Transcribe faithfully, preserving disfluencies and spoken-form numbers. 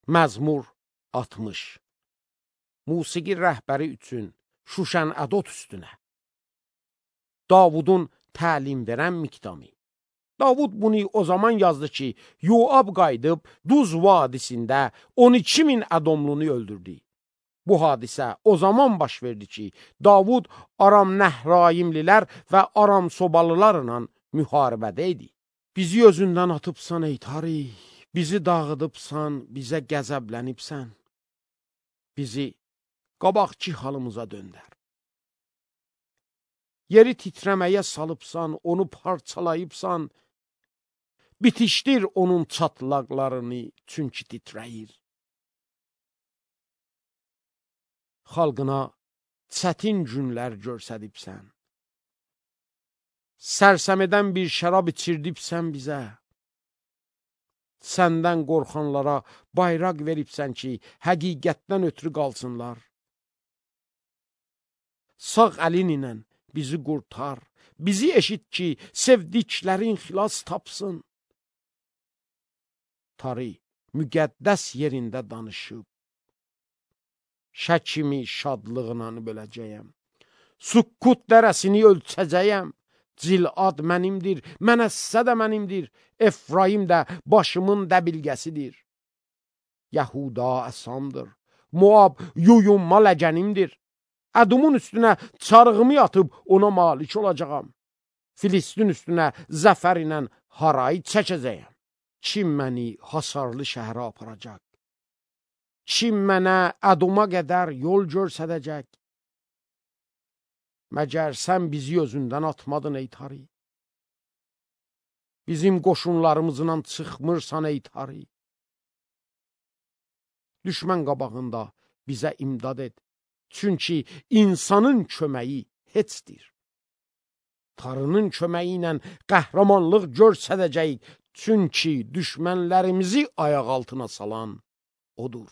Məzmur altmış. Musiqi rəhbəri üçün Şuşən Ədot üstünə. Davudun təlim verən miqdamı. Davud bunu o zaman yazdı ki, Yoab qayıdıb Duz vadisində on iki min Ədomlunu öldürdü. Bu hadisə o zaman baş verdi ki, Davud Aram Nəhrayimlilər və Aram Sobalılarla müharibədə idi. Bizi özündən atıbsan ey tarih, bizi dağıdıbsan, bizə qəzəblənibsən. Bizi qabaqki halımıza döndər. Yeri titrəməyə salıbsan, onu parçalayıbsan, bitişdir onun çatlaqlarını, çünki titrəyir. Xalqına çətin günlər görsədibsən. Sərsəmədən bir şərab içirdibsən bizə. Səndən qorxanlara bayraq veribsən ki, həqiqətdən ötürü qalsınlar. Sağ əlin ilə bizi qurtar, bizi eşit ki, sevdiklərin xilas tapsın. Tarih müqəddəs yerində danışıb, şəkimi şadlığına böləcəyəm. Sukkut dərəsini ölçəcəyəm. Cilad mənimdir, Mənəssə də mənimdir, Efraim də başımın dəbilgəsidir. Yahuda əsamdır, Moab yuyunma ləgənimdir. Ədumun üstünə çarığımı atıb ona malik olacağam. Filistin üstünə zəfər ilə haray çəkəcəyəm. Kim məni hasarlı şəhərə aparacaq? Kim mənə Əduma qədər yol görsədəcək? Məgər sən bizi özündən atmadın ey tarih? Bizim qoşunlarımızla çıxmırsan ey tarih? Düşmən qabağında bizə imdad et. Çünki insanın köməyi heçdir. Tanrının köməyi ilə qəhrəmanlıq görsədəcəyik. Çünki düşmənlərimizi ayaq altına salan odur.